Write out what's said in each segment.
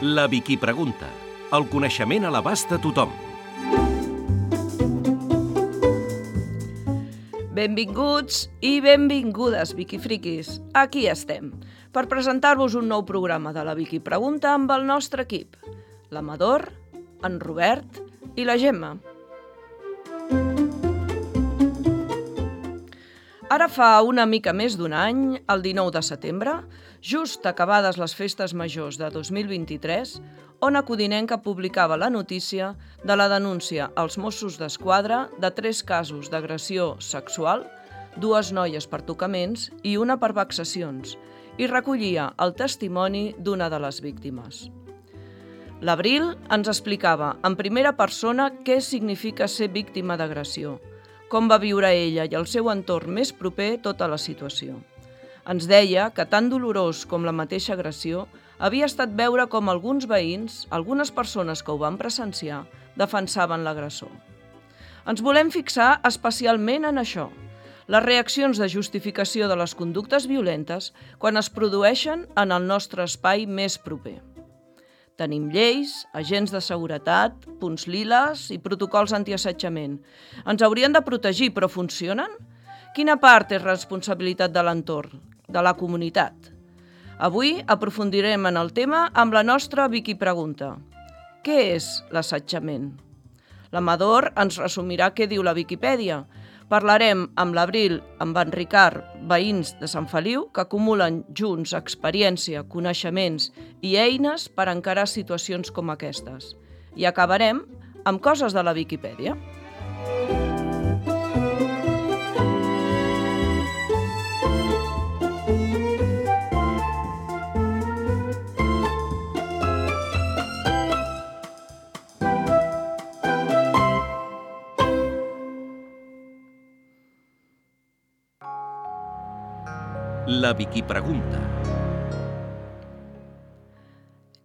La Vicky Pregunta. El coneixement a l'abast de tothom. Benvinguts i benvingudes, Vicky Friquis. Aquí estem, per presentar-vos un nou programa de la Vicky Pregunta amb el nostre equip. L'Amador, en Robert i la Gemma. Ara fa una mica més d'un any, el 19 de setembre, just acabades les festes majors de 2023, Ona Codinenca publicava la notícia de la denúncia als Mossos d'Esquadra de 3 casos d'agressió sexual, 2 noies per tocaments i una per vexacions, i recollia el testimoni d'una de les víctimes. L'Abril ens explicava en primera persona què significa ser víctima d'agressió, com va viure ella i el seu entorn més proper tota la situació. Ens deia que tan dolorós com la mateixa agressió havia estat veure com alguns veïns, algunes persones que ho van presenciar, defensaven l'agressor. Ens volem fixar especialment en això, les reaccions de justificació de les conductes violentes quan es produeixen en el nostre espai més proper. Tenim lleis, agents de seguretat, punts liles i protocols antiassetjament. Ens haurien de protegir, però funcionen? Quina part és responsabilitat de l'entorn, de la comunitat? Avui aprofundirem en el tema amb la nostra Vicky Pregunta. Què és l'assetjament? L'Amador ens resumirà què diu la Viquipèdia. Parlarem amb l'Abril, amb en Ricard, veïns de Sant Feliu, que acumulen junts experiència, coneixements i eines per encarar situacions com aquestes. I acabarem amb coses de la Viquipèdia. La Vicky Pregunta.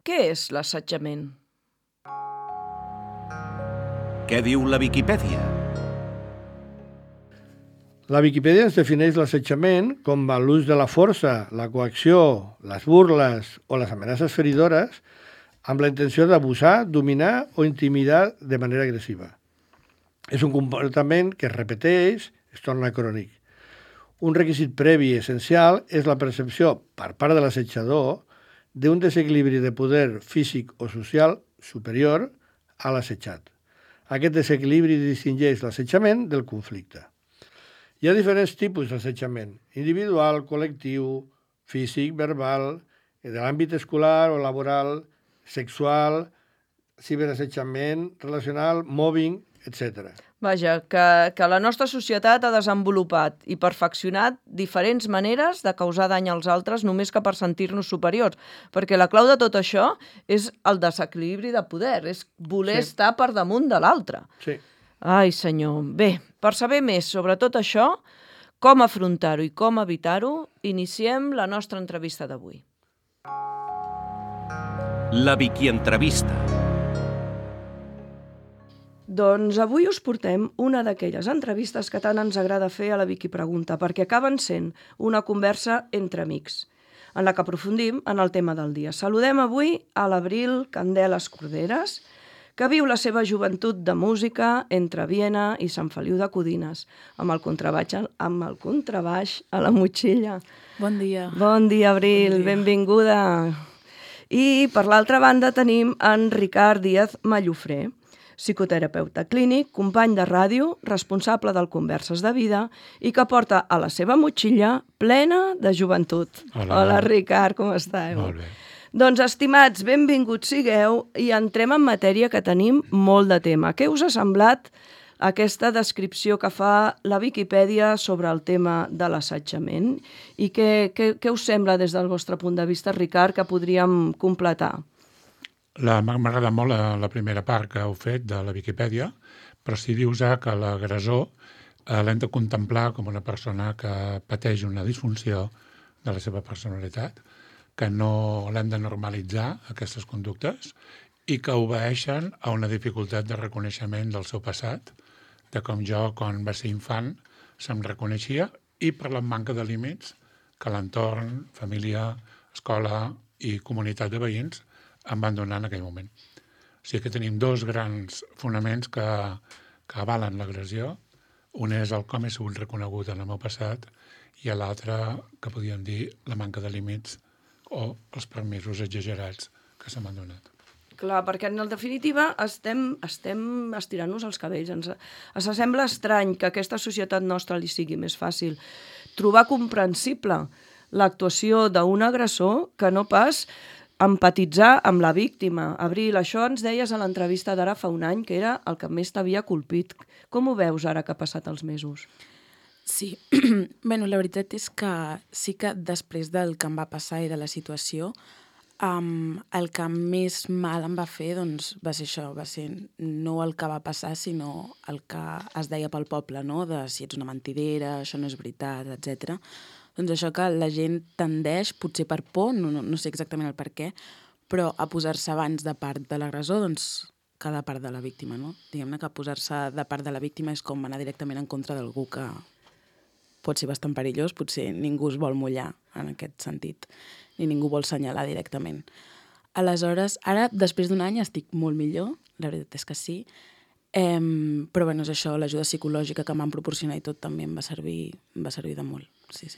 Què és l'assetjament? Què diu la Viquipèdia? La Viquipèdia ens defineix l'assetjament com l'ús de la força, la coacció, les burles o les amenaces feridores amb la intenció d'abusar, dominar o intimidar de manera agressiva. És un comportament que es repeteix, es torna crònic. Un requisit previ i essencial és la percepció per part de l'assetjador d'un desequilibri de poder físic o social superior a l'assetjat. Aquest desequilibri distingeix l'assetjament del conflicte. Hi ha diferents tipus d'assetjament: individual, col·lectiu, físic, verbal, de l'àmbit escolar o laboral, sexual, ciberassetjament, relacional, mobbing, etc. Vaja, que la nostra societat ha desenvolupat i perfeccionat diferents maneres de causar dany als altres només que per sentir-nos superiors, perquè la clau de tot això és el desequilibri de poder, és voler estar per damunt de l'altre. Sí. Ai, senyor. Bé, per saber més sobre tot això, com afrontar-ho i com evitar-ho, iniciem la nostra entrevista d'avui. La Vicky Entrevista. Doncs avui us portem una d'aquelles entrevistes que tant ens agrada fer a la Vicky Pregunta, perquè acaben sent una conversa entre amics, en la que aprofundim en el tema del dia. Saludem avui a l'Abril Candeles Corderes, que viu la seva joventut de música entre Viena i Sant Feliu de Codines, amb el contrabaix a la motxilla. Bon dia. Bon dia, Abril, benvinguda. I per l'altra banda tenim en Ricard Díaz Mallofré, psicoterapeuta clínic, company de ràdio, responsable del Converses de Vida i que porta a la seva motxilla plena de joventut. Hola Ricard, com esteu? Molt bé. Doncs, estimats, benvinguts sigueu i entrem en matèria que tenim molt de tema. Què us ha semblat aquesta descripció que fa la Viquipèdia sobre el tema de l'assetjament? I què us sembla des del vostre punt de vista, Ricard, que podríem completar? M'ha agradat molt la primera part que heu fet de la Viquipèdia, però si dius que l'agressor l'hem de contemplar com una persona que pateix una disfunció de la seva personalitat, que no l'hem de normalitzar, aquestes conductes, i que obeeixen a una dificultat de reconeixement del seu passat, de com jo, quan va ser infant, se'm reconeixia, i per la manca de límits que l'entorn, família, escola i comunitat de veïns em van donar en aquell moment. O sigui que tenim dos grans fonaments que avalen l'agressió. Un és el com he sigut reconegut en el meu passat i l'altre, que podríem dir, la manca de límits o els permisos exagerats que se m'han donat. Clar, perquè en definitiva estem estirant-nos els cabells. Ens sembla estrany que a aquesta societat nostra li sigui més fàcil trobar comprensible l'actuació d'un agressor que no pas empatitzar amb la víctima. Abril, això ens deies a l'entrevista d'ara fa un any, que era el que més t'havia colpit. Com ho veus ara que ha passat els mesos? Sí, bueno, la veritat és que sí que després del que em va passar i de la situació, el que més mal em va fer doncs, va ser això, va ser no el que va passar, sinó el que es deia pel poble, no? De si ets una mentidera, això no és veritat, etc. Doncs això que la gent tendeix, potser per por, no sé exactament el per què, però a posar-se abans de part de l'agressor, doncs, que de part de la víctima, no? Diguem-ne que posar-se de part de la víctima és com anar directament en contra d'algú que pot ser bastant perillós, potser ningú es vol mullar en aquest sentit, ni ningú vol assenyalar directament. Aleshores, ara, després d'un any, estic molt millor, la veritat és que sí, però bueno, és això, l'ajuda psicològica que m'han proporcionat i tot també em va servir de molt, sí.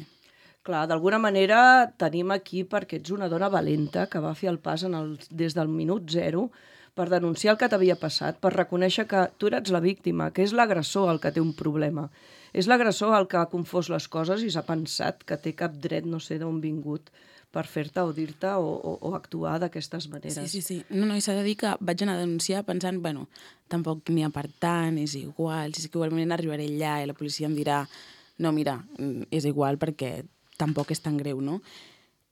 Clar, d'alguna manera tenim aquí perquè ets una dona valenta que va fer el pas des del minut zero per denunciar el que t'havia passat, per reconèixer que tu eres la víctima, que és l'agressor el que té un problema. És l'agressor el que ha confós les coses i s'ha pensat que té cap dret, no sé d'on vingut, per fer-te o dir-te o actuar d'aquestes maneres. Sí. No, i s'ha de dir que vaig anar a denunciar pensant, bueno, tampoc n'hi ha per tant, és igual, si és que igualment arribaré allà i la policia em dirà, no, mira, és igual perquè tampoc és tan greu, no?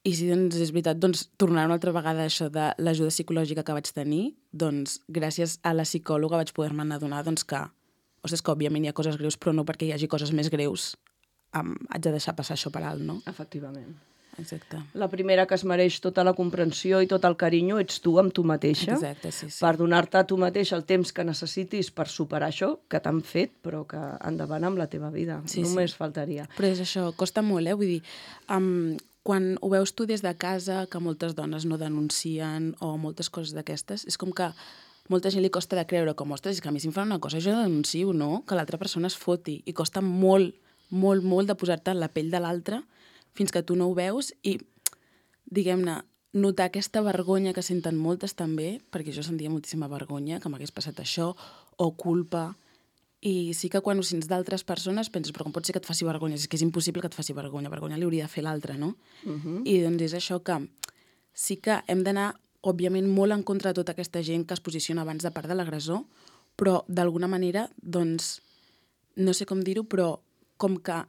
I si doncs, és veritat, doncs, tornar una altra vegada a això de l'ajuda psicològica que vaig tenir, doncs, gràcies a la psicòloga vaig poder-me adonar doncs, que, ostres, que òbviament hi ha coses greus, però no perquè hi hagi coses més greus haig de deixar passar això per alt, no? Efectivament. Exacte. La primera que es mereix tota la comprensió i tot el carinyo ets tu amb tu mateixa. Exacte, sí. Per donar-te a tu mateix el temps que necessitis per superar això que t'han fet, però que endavant amb la teva vida. Només faltaria. Però és això, costa molt, vull dir, quan ho veus tu des de casa, que moltes dones no denuncien o moltes coses d'aquestes, és com que molta gent li costa de creure com, ostres, és que a mi si em fan una cosa jo denuncio, no? Que l'altra persona es foti. I costa molt de posar-te en la pell de l'altre fins que tu no ho veus i, diguem-ne, notar aquesta vergonya que senten moltes també, perquè jo sentia moltíssima vergonya que m'hagués passat això, o culpa. I sí que quan ho sents d'altres persones penses, però com pot ser que et faci vergonya? És que és impossible que et faci vergonya li hauria de fer l'altre, no? I doncs és això que sí que hem d'anar, òbviament, molt en contra de tota aquesta gent que es posiciona abans de part de l'agressor, però d'alguna manera, doncs, no sé com dir-ho, però com que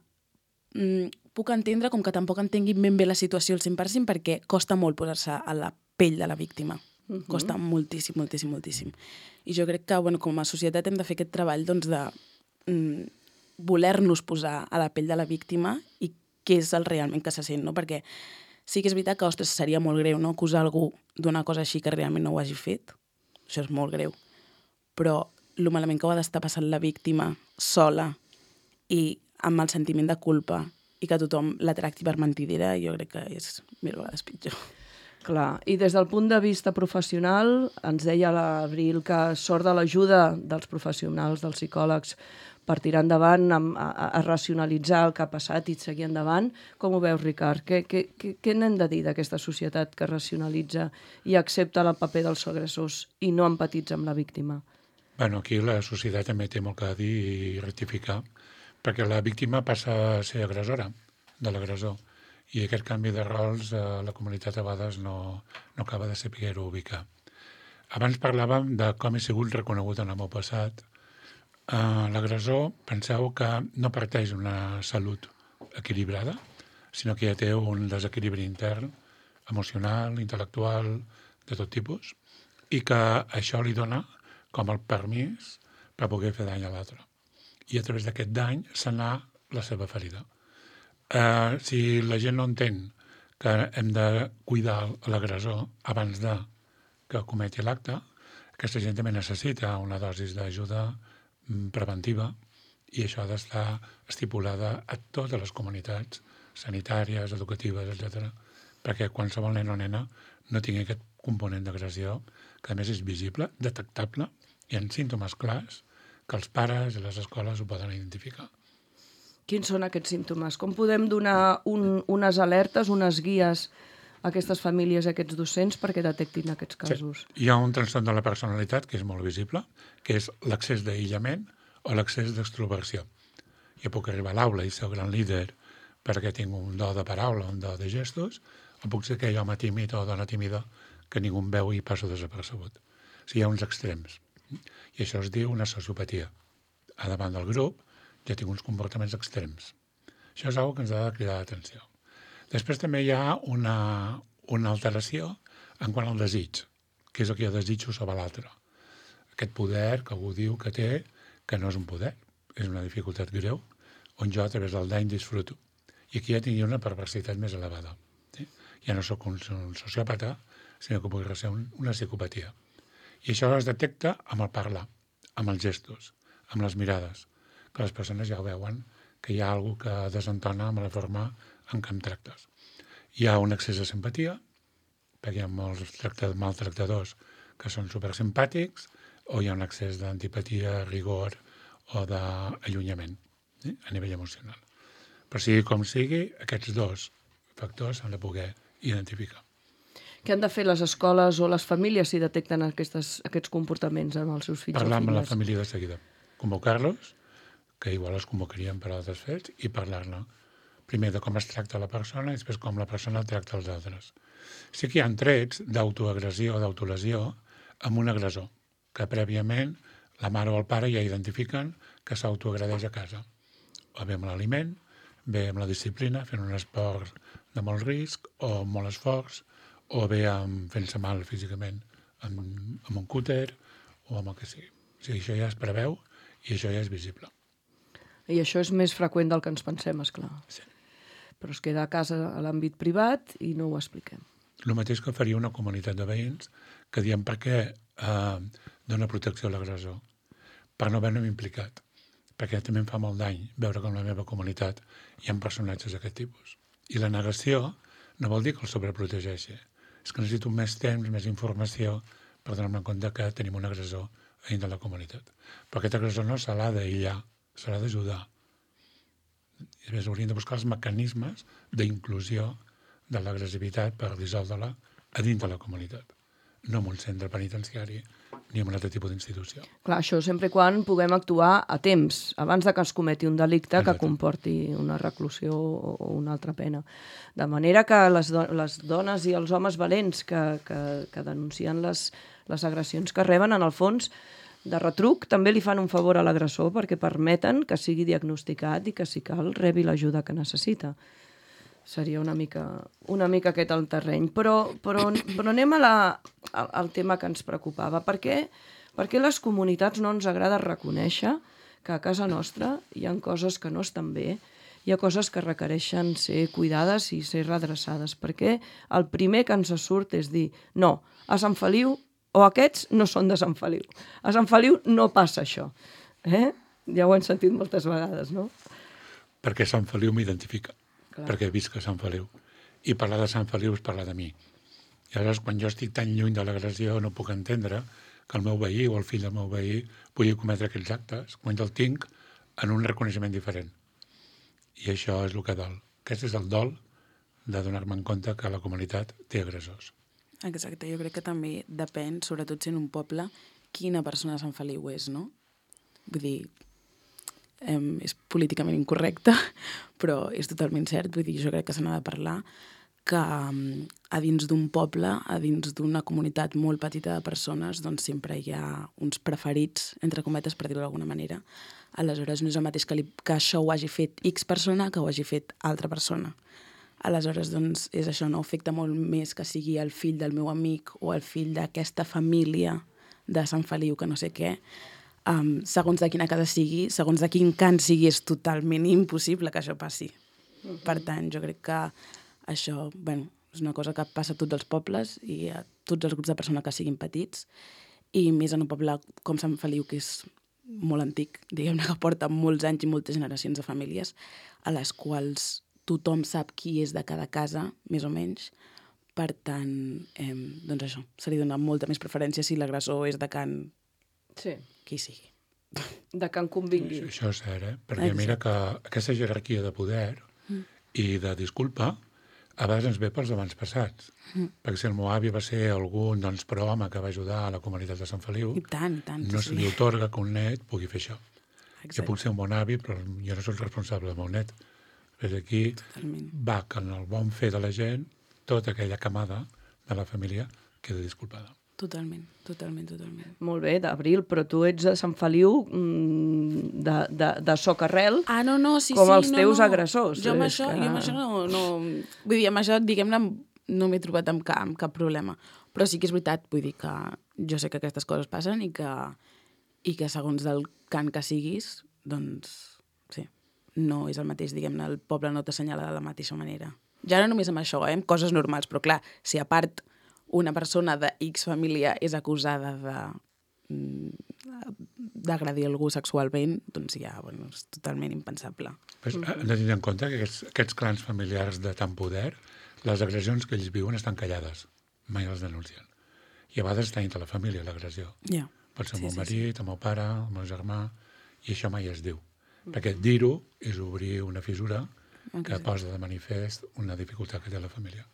puc entendre com que tampoc entenguin ben bé la situació al 100% perquè costa molt posar-se a la pell de la víctima. Costa moltíssim. I jo crec que, bueno, com a societat hem de fer aquest treball doncs, de voler-nos posar a la pell de la víctima i què és el realment que se sent, no? Perquè sí que és veritat que, ostres, seria molt greu, no?, acusar algú d'una cosa així que realment no ho hagi fet. Això és molt greu. Però el malament que ho ha d'estar passant la víctima sola i amb el sentiment de culpa i que tothom la tracti per mentidera, jo crec que és 1000 vegades pitjor. Clar, i des del punt de vista professional, ens deia l'Abril que sort de l'ajuda dels professionals, dels psicòlegs, per tirar endavant, a racionalitzar el que ha passat i seguir endavant. Com ho veus, Ricard? Què n'hem de dir d'aquesta societat que racionalitza i accepta el paper dels agressors i no empatitza amb la víctima? Bueno, aquí la societat també té molt que dir i rectificar, perquè la víctima passa a ser agressora de l'agressor. I aquest canvi de rols la comunitat a vegades no acaba de saber-ho ubicar. Abans parlàvem de com he sigut reconegut en el meu passat. L'agressor, penseu que no parteix d'una salut equilibrada, sinó que ja té un desequilibri intern, emocional, intel·lectual, de tot tipus, i que això li dona com el permís per poder fer dany a l'altre. I a través d'aquest dany se'n va la seva ferida. Si la gent no entén que hem de cuidar l'agressor abans de que cometi l'acte, aquesta gent també necessita una dosi d'ajuda preventiva i això ha d'estar estipulada a totes les comunitats sanitàries, educatives, etc., perquè qualsevol nen o nena no tingui aquest component d'agressió, que a més és visible, detectable, i en símptomes clars que els pares i les escoles ho poden identificar. Quins són aquests símptomes? Com podem donar unes alertes, unes guies a aquestes famílies, a aquests docents, perquè detectin aquests casos? Sí. Hi ha un trastorn de la personalitat que és molt visible, que és l'accés d'aïllament o l'accés d'extroversió. Jo puc arribar a l'aula i ser el gran líder perquè tinc un do de paraula, un do de gestos, o puc ser aquell home tímid o dona tímida que ningú em veu i passo desapercebut. O sigui, hi ha uns extrems. I això es diu una sociopatia. A davant del grup ja tinc uns comportaments extrems. Això és una cosa que ens ha de cridar l'atenció. Després també hi ha una alteració en quant al desig, que és el que jo desitjo sobre l'altre. Aquest poder que algú diu que té, que no és un poder, és una dificultat greu, on jo a través del dany disfruto. I aquí ja tindria una perversitat més elevada. Sí? Ja no sóc un sociòpata, sinó que pugui ser una psicopatia. I això es detecta amb el parlar, amb els gestos, amb les mirades, que les persones ja ho veuen, que hi ha alguna que desentona amb la forma en què em tractes. Hi ha un excés de simpatia, perquè hi ha molts maltractadors que són supersimpàtics, o hi ha un excés d'antipatia, rigor o d'allunyament, a nivell emocional. Però sigui com sigui, aquests dos factors s'han de poder identificar. Què han de fer les escoles o les famílies si detecten aquests comportaments en els seus fills o filles? Parlar amb la família de seguida. Convocar-los, que igual els convocaríem per altres fets, i parlar-ne. Primer de com es tracta la persona i després com la persona tracta els altres. Sí que hi ha trets d'autoagressió o d'autolesió amb un agressor, que prèviament la mare o el pare ja identifiquen que s'autoagredeix a casa. O bé amb l'aliment, bé amb la disciplina, fent un esport de molt risc o molt esforç, o bé fent-se mal físicament amb un cúter o amb el que sigui. O sigui, això ja es preveu i això ja és visible. I això és més freqüent del que ens pensem, esclar. Sí. Però es queda a casa a l'àmbit privat i no ho expliquem. El mateix que faria una comunitat de veïns que diem per què dona protecció a l'agressor, per no haver-me implicat, perquè també em fa molt dany veure com la meva comunitat hi ha personatges d'aquest tipus. I la negació no vol dir que el sobreprotegeixi, és que necessito més temps, més informació per donar-me compte que tenim un agressor a dins de la comunitat. Però aquest agressor no se l'ha d'aïllar, se l'ha d'ajudar. I a més hauríem de buscar els mecanismes d'inclusió de l'agressivitat per dissoldre-la a dins de la comunitat, no en un centre penitenciari ni en un altre tipus d'institució. Clar, això sempre quan puguem actuar a temps, abans de que es cometi un delicte que comporti una reclusió o una altra pena. De manera que les dones i els homes valents que denuncien les agressions que reben, en el fons, de retruc, també li fan un favor a l'agressor perquè permeten que sigui diagnosticat i que, si cal, rebi l'ajuda que necessita. Seria una mica aquest el terreny. Però anem al tema que ens preocupava. Per què les comunitats no ens agrada reconèixer que a casa nostra hi ha coses que no estan bé, hi ha coses que requereixen ser cuidades i ser redreçades? Perquè el primer que ens surt és dir no, a Sant Feliu o aquests no són de Sant Feliu. A Sant Feliu no passa això. Ja ho hem sentit moltes vegades, no? Perquè Sant Feliu m'identifica. Clar. Perquè visc a Sant Feliu. I parlar de Sant Feliu és parlar de mi. I aleshores, quan jo estic tan lluny de l'agressió, no puc entendre que el meu veí o el fill del meu veí pugui cometre aquells actes, quan jo el tinc en un reconeixement diferent. I això és el que dol. Aquest és el dol de donar-me en compte que la comunitat té agressors. Exacte, jo crec que també depèn, sobretot si en un poble, quina persona de Sant Feliu és, no? Vull dir, és políticament incorrecte, però és totalment cert. Vull dir, jo crec que se n'ha de parlar que a dins d'un poble, a dins d'una comunitat molt petita de persones, doncs sempre hi ha uns preferits, entre cometes, per dir-ho d'alguna manera. Aleshores, no és el mateix que això ho hagi fet X persona que ho hagi fet altra persona. Aleshores, doncs, és això, no? Afecta molt més que sigui el fill del meu amic o el fill d'aquesta família de Sant Feliu, que no sé què. Segons de quina casa sigui, segons de quin cant sigui, és totalment impossible que això passi. Per tant, jo crec que això, és una cosa que passa a tots els pobles i a tots els grups de persones que siguin petits, i més en un poble com Sant Feliu, que és molt antic, diguem-ne, que porta molts anys i moltes generacions de famílies, a les quals tothom sap qui és de cada casa, més o menys. Per tant, doncs això, se li dona molta més preferència si l'agressor és de can Sí, qui sigui. de can convingui. Això és cert, Perquè mira que aquesta jerarquia de poder i de disculpa a vegades ens ve pels abans passats. Perquè si el meu avi va ser algun pro-home que va ajudar a la comunitat de Sant Feliu, I tant, no se li otorga que un net pugui fer això. Exacte. Jo puc ser un bon avi, però jo no soc responsable del meu net. Des d'aquí va que en el bon fer de la gent, tota aquella camada de la família queda disculpada. Totalment. Molt bé, d'Abril, però tu ets de Sant Feliu de socarrel, Ah, no, sí, com els no, teus no. agressors. Jo amb És això, que- no... Vull dir, amb això, diguem-ne, no m'he trobat amb cap problema. Però sí que és veritat, vull dir que jo sé que aquestes coses passen i que segons del cant que siguis, doncs, sí, no és el mateix, diguem-ne, el poble no t'assenyala de la mateixa manera. Ja no només amb això, amb coses normals, però clar, si a part una persona de X família és acusada d'agredir algú sexualment, doncs ja, bueno, és totalment impensable. Pues, hem de tenir en compte que aquests clans familiars de tant poder, les agressions que ells viuen estan callades, mai les denuncien. I a vegades està dintre la família, l'agressió. Ja. Pot ser el meu marit, el meu pare, el meu germà, i això mai es diu. Perquè dir-ho és obrir una fissura que posa de manifest una dificultat que té la família.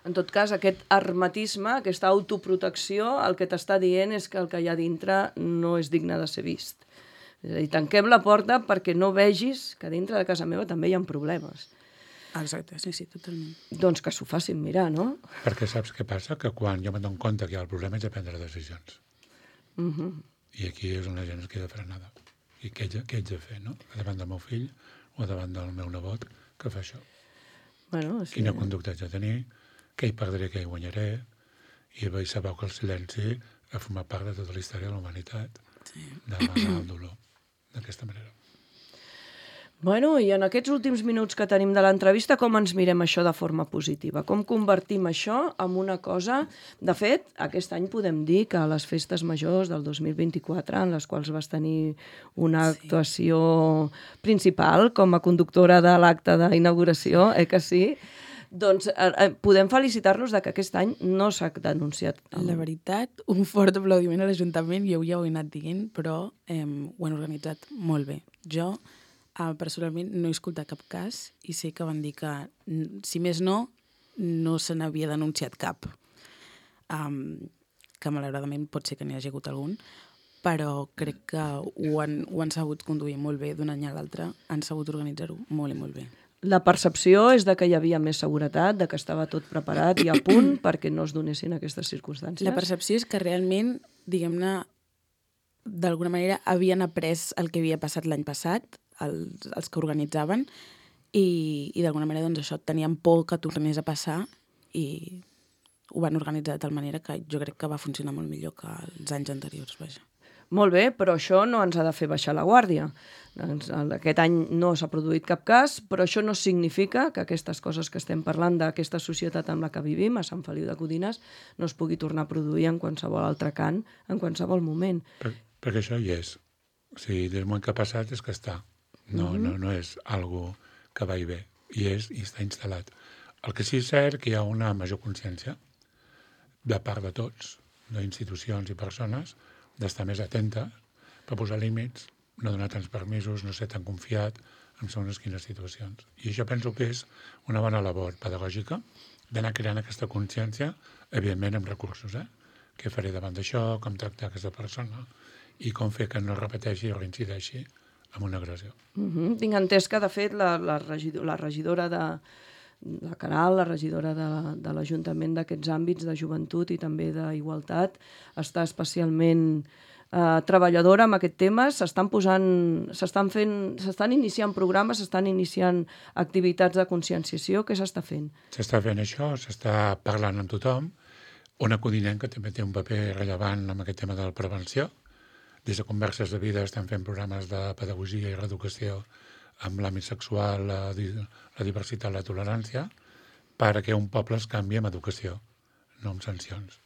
En tot cas, aquest hermetisme, aquesta autoprotecció, el que t'està dient és que el que hi ha dintre no és digne de ser vist. És a dir, tanquem la porta perquè no vegis que dintre de casa meva també hi ha problemes. Exacte, sí, totalment. Doncs que s'ho facin mirar, no? Perquè saps què passa? Que quan jo m'adono compte que hi ha el problema és de prendre decisions. I aquí és on la gent es queda frenada. I què haig de fer, no? Davant del meu fill o davant del meu nebot que fa això. Bueno, sí. Quina conducta haig de tenir, què hi perdré, què hi guanyaré, i veig sabeu que el silenci ha format part de tota la història de la humanitat, d'amagar el dolor, d'aquesta manera. Bueno, i en aquests últims minuts que tenim de l'entrevista, com ens mirem això de forma positiva? Com convertim això en una cosa... De fet, aquest any podem dir que a les festes majors del 2024, en les quals vas tenir una actuació principal com a conductora de l'acte d'inauguració, que sí? Doncs podem felicitar-los de que aquest any no s'ha denunciat. La veritat, un fort aplaudiment a l'Ajuntament, jo ja ho he anat dient, però ho han organitzat molt bé. Jo... personalment no he escoltat cap cas i sé que van dir que, si més no se n'havia denunciat cap. Que malauradament pot ser que n'hi hagi hagut algun, però crec que ho han sabut conduir molt bé d'un any a l'altre, han sabut organitzar-ho molt i molt bé. La percepció és de que hi havia més seguretat, de que estava tot preparat i a punt perquè no es donessin aquestes circumstàncies? La percepció és que realment, diguem-ne, d'alguna manera havien après el que havia passat l'any passat, els que organitzaven, i d'alguna manera doncs, això tenien por que tornés a passar i ho van organitzar de tal manera que jo crec que va funcionar molt millor que els anys anteriors. Vaja. Molt bé, però això no ens ha de fer baixar la guàrdia. Aquest any no s'ha produït cap cas, però això no significa que aquestes coses que estem parlant d'aquesta societat amb la que vivim, a Sant Feliu de Codines, no es pugui tornar a produir en qualsevol altre cant, en qualsevol moment. Perquè això hi és. O sigui, del moment que ha passat és que està. No és algo que va i ve. I està instal·lat. El que sí és cert que hi ha una major consciència de part de tots, d'institucions i persones, d'estar més atentes per posar límits, no donar tants permisos, no ser tan confiat en segons quines situacions. I això penso que és una bona labor pedagògica d'anar creant aquesta consciència, evidentment amb recursos. Què faré davant d'això, com tractar aquesta persona i com fer que no repeteixi o reincideixi amb una agressió. Tinc entès que, de fet, la regidora de la Caral, la regidora de l'Ajuntament d'aquests àmbits de joventut i també d'igualtat, està especialment treballadora amb aquest tema. S'estan iniciant programes, s'estan iniciant activitats de conscienciació. Què s'està fent? S'està fent això, s'està parlant amb tothom. Ona Codinenca també té un paper rellevant en aquest tema de la prevenció. Des de Converses de Vida estan fent programes de pedagogia i reeducació amb l'àmbit sexual, la diversitat, la tolerància, perquè un poble es canvi amb educació, no amb sancions.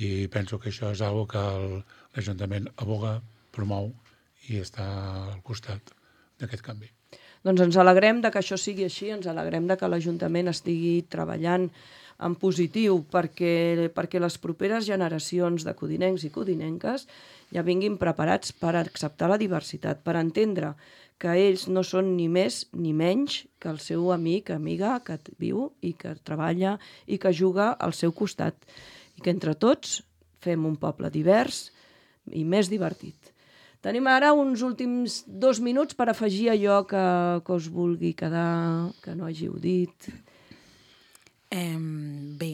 I penso que això és una cosa que l'Ajuntament aboga, promou i està al costat d'aquest canvi. Doncs ens alegrem de que això sigui així, ens alegrem de que l'Ajuntament estigui treballant en positiu perquè les properes generacions de codinencs i codinenques ja vinguin preparats per acceptar la diversitat, per entendre que ells no són ni més ni menys que el seu amic, amiga, que viu i que treballa i que juga al seu costat. I que entre tots fem un poble divers i més divertit. Tenim ara uns últims 2 minuts per afegir allò que us vulgui quedar, que no hàgiu dit. Bé,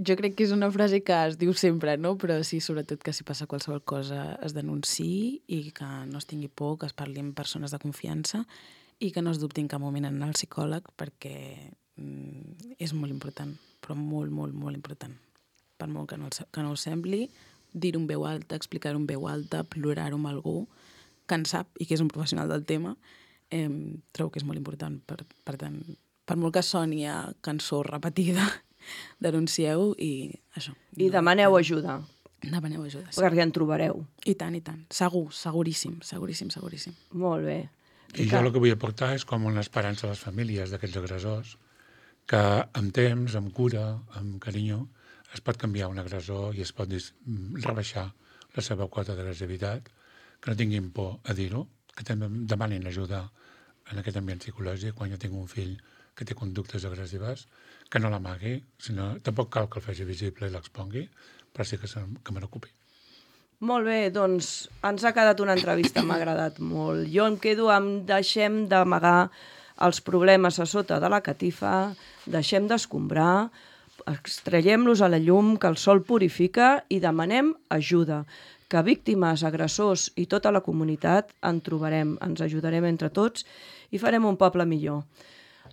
jo crec que és una frase que es diu sempre, no? Però sí, sobretot que si passa qualsevol cosa es denunciï i que no es tingui por, que es parli amb persones de confiança i que no es dubti en cap moment en anar al psicòleg perquè és molt important, però molt, molt, molt important. Per molt que no ho sembli, dir-ho en veu alta, explicar-ho en veu alta, plorar-ho amb algú que en sap i que és un professional del tema, trobo que és molt important. Per tant, per molt que soni a cançó repetida, denuncieu i això. I demaneu ajuda. Demaneu ajuda, sí. Perquè en trobareu. I tant, i tant. Segur, seguríssim, seguríssim, seguríssim. Molt bé. I jo el que vull aportar és com una esperança a les famílies d'aquests agressors, que amb temps, amb cura, amb carinyo, es pot canviar un agressor i es pot rebaixar la seva quota d'agressivitat, que no tinguin por a dir-ho, que també demanin ajuda en aquest ambient psicològic quan jo tinc un fill que té conductes agressives, que no l'amagui, sinó tampoc cal que el faci visible i l'expongui, però sí que me n'ocupi. Molt bé, doncs ens ha quedat una entrevista, m'ha agradat molt. Jo em quedo amb deixem d'amagar els problemes a sota de la catifa, deixem d'escombrar, extraiem-los a la llum, que el sol purifica i demanem ajuda, que víctimes, agressors i tota la comunitat en trobarem, ens ajudarem entre tots i farem un poble millor.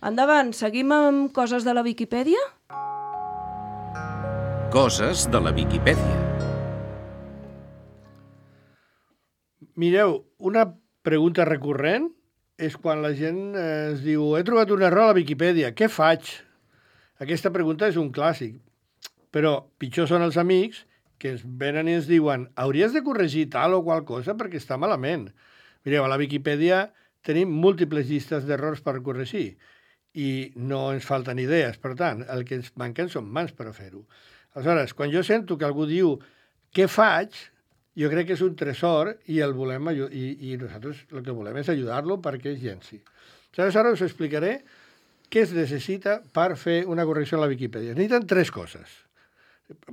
Endavant, seguim amb coses de la Viquipèdia? Coses de la Viquipèdia. Mireu, una pregunta recurrent és quan la gent es diu he trobat un error a la Viquipèdia, què faig? Aquesta pregunta és un clàssic, però pitjor són els amics que ens venen i ens diuen hauries de corregir tal o qual cosa perquè està malament. Mireu, a la Viquipèdia tenim múltiples llistes d'errors per corregir i no ens falten idees, per tant, el que ens manquen són mans per a fer-ho. Aleshores, quan jo sento que algú diu què faig, jo crec que és un tresor i nosaltres el que volem és ajudar-lo perquè es llenci. Aleshores us explicaré què es necessita per fer una correcció a la Viquipèdia. Es necessiten 3 coses.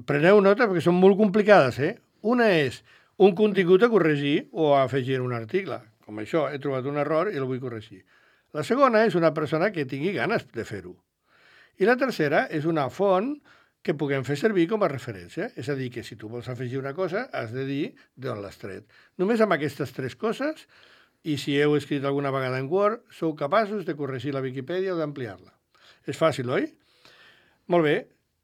Preneu nota perquè són molt complicades, Una és un contingut a corregir o a afegir en un article. Com això, he trobat un error i el vull corregir. La segona és una persona que tingui ganes de fer-ho. I la tercera és una font que puguem fer servir com a referència. És a dir, que si tu vols afegir una cosa, has de dir d'on l'has tret. Només amb aquestes 3 coses, i si heu escrit alguna vegada en Word, sou capaços de corregir la Viquipèdia o d'ampliar-la. És fàcil, oi? Molt bé.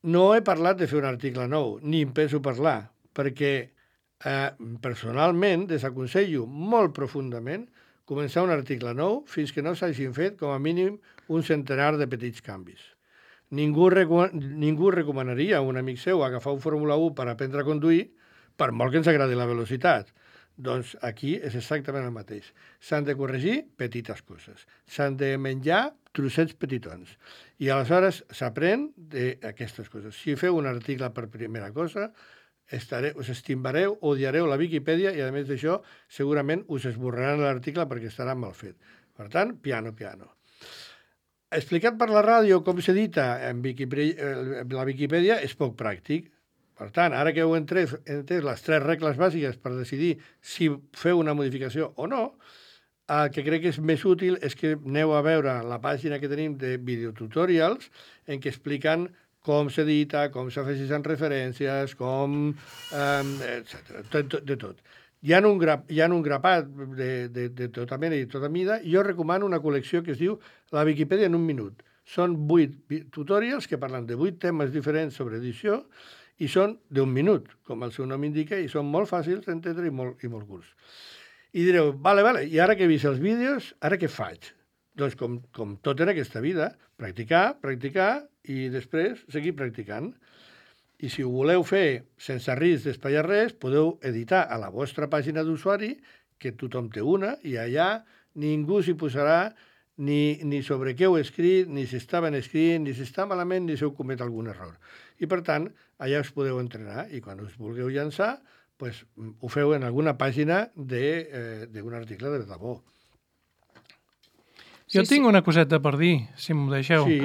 No he parlat de fer un article nou, ni em penso parlar, perquè personalment desaconsello molt profundament començar un article nou fins que no s'hagin fet com a mínim un centenar de petits canvis. Ningú recomanaria a un amic seu agafar un Fórmula 1 per aprendre a conduir, per molt que ens agradi la velocitat. Doncs aquí és exactament el mateix. S'han de corregir petites coses. S'han de menjar trossets petitons. I aleshores s'aprèn d'aquestes coses. Si feu un article per primera cosa, us estimbareu, odiareu la Viquipèdia i, a més d'això, segurament us esborraran l'article perquè estarà mal fet. Per tant, piano, piano. Explicat per la ràdio com s'edita la Viquipèdia és poc pràctic. Per tant, ara que heu entès les 3 regles bàsiques per decidir si feu una modificació o no, el que crec que és més útil és que aneu a veure la pàgina que tenim de videotutorials en què expliquen com s'edita, com s'afegeixen referències, com... etc. De tot. Hi ha un grapat de tota mena i tota mida. Jo recomano una col·lecció que es diu La Viquipèdia en un minut. Són 8 tutorials que parlen de 8 temes diferents sobre edició i són d'1 minut, com el seu nom indica, i són molt fàcils d'entendre i molt curts. I direu, vale, i ara que he vist els vídeos, ara què faig? Doncs com tot en aquesta vida, practicar i després seguir practicant. I si ho voleu fer sense risc d'espatllar res, podeu editar a la vostra pàgina d'usuari, que tothom té una, i allà ningú s'hi posarà ni sobre què heu escrit, ni si està ben escrit, ni si està malament, ni si heu comet algun error. I, per tant, allà us podeu entrenar i quan us vulgueu llançar, pues, ho feu en alguna pàgina d'un article de debò. Jo tinc una coseta per dir, si m'ho deixeu. Sí.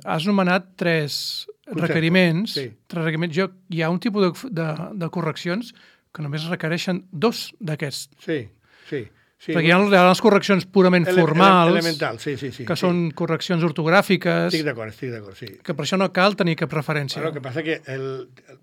Has nomenat tres requeriments. Sí. Tres requeriments. Hi ha un tipus de correccions que només requereixen 2 d'aquests. Sí. Perquè hi ha les correccions purament formals, elemental, sí. que són correccions ortogràfiques, Estic d'acord, sí. que per això no cal tenir cap referència. El que passa que,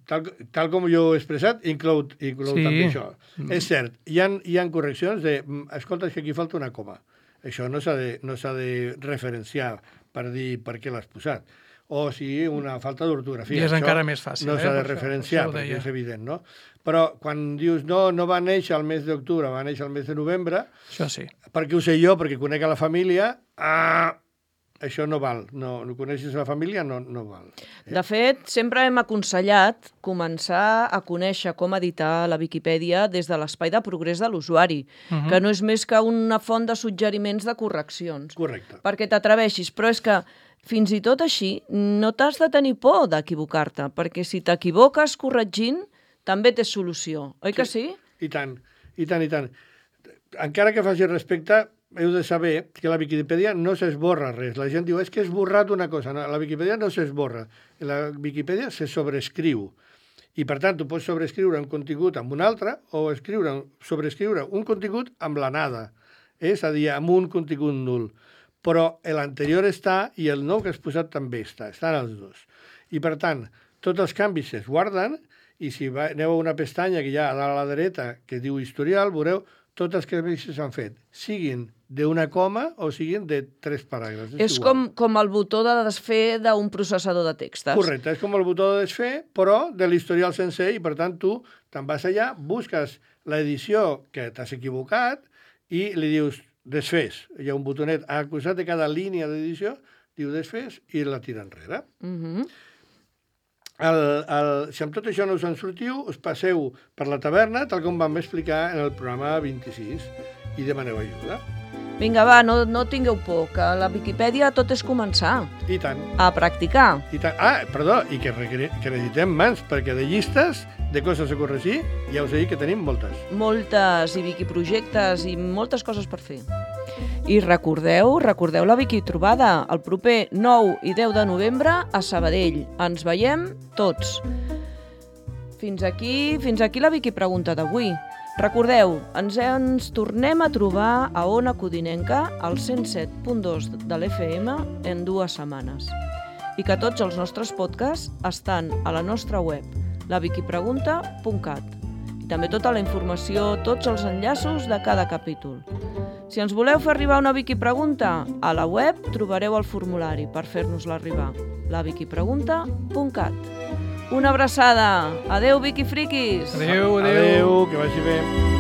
tal com jo he expressat, inclou també això. És cert, hi ha correccions de, escolta, és que aquí falta una coma. Això no s'ha de referenciar per dir per què l'has posat. O sigui, una falta d'ortografia. I és encara més fàcil. No s'ha de referenciar, perquè és evident, no? Però quan dius, no va néixer al mes d'octubre, va néixer al mes de novembre, això sí. Perquè ho sé jo, perquè conec a la família, això no val. No coneixes la família, no val. De fet, sempre hem aconsellat començar a conèixer com editar la Viquipèdia des de l'espai de progrés de l'usuari, que no és més que una font de suggeriments de correccions. Correcte. Perquè t'atreveixis, però és que fins i tot així no t'has de tenir por d'equivocar-te, perquè si t'equivoques corregint, també té solució, oi que sí? I tant. Encara que faci respecte, heu de saber que la Viquipèdia no s'esborra res. La gent diu, és que he esborrat una cosa. No, la Viquipèdia no s'esborra. La Viquipèdia se sobreescriu. I, per tant, tu pots sobreescriure un contingut amb un altre o sobreescriure un contingut amb la nada. És a dir, amb un contingut nul. Però l'anterior està i el nou que has posat també està. Estan els dos. I, per tant, tots els canvis es guarden i si aneu a una pestanya que hi ha a dalt a la dreta que diu historial, veureu tots els canvis que s'han fet, siguin d'una coma o siguin de 3 paràgrafs. És com el botó de desfer d'un processador de textos. Correcte, és com el botó de desfer, però de l'historial sencer, i per tant tu te'n vas allà, busques l'edició que t'has equivocat i li dius desfés. Hi ha un botonet a costat de cada línia d'edició, diu desfés i la tira enrere. Si amb tot això no us en sortiu, us passeu per la taverna, tal com vam explicar en el programa 26, i demaneu ajuda. Vinga, va, no tingueu por, que a la Viquipèdia tot és començar. I tant. A practicar. I tant. Perdó, i que necessitem mans, perquè de llistes, de coses a corregir, ja us he dit que tenim moltes. Moltes, i Viquiprojectes, i moltes coses per fer. I recordeu la Viquitrobada, el proper 9 i 10 de novembre a Sabadell. Ens veiem tots. Fins aquí la Viquipregunta d'avui. Recordeu, ens tornem a trobar a Ona Codinenca, al 107.2 de l'FM, en 2 setmanes. I que tots els nostres podcasts estan a la nostra web, laviquipregunta.cat. I també tota la informació, tots els enllaços de cada capítol. Si ens voleu fer arribar una Viquipregunta, a la web trobareu el formulari per fer-nos-la arribar, laviquipregunta.cat. Una abraçada. Adéu, Viquifriquis. Adéu. Adéu, que vagi bé.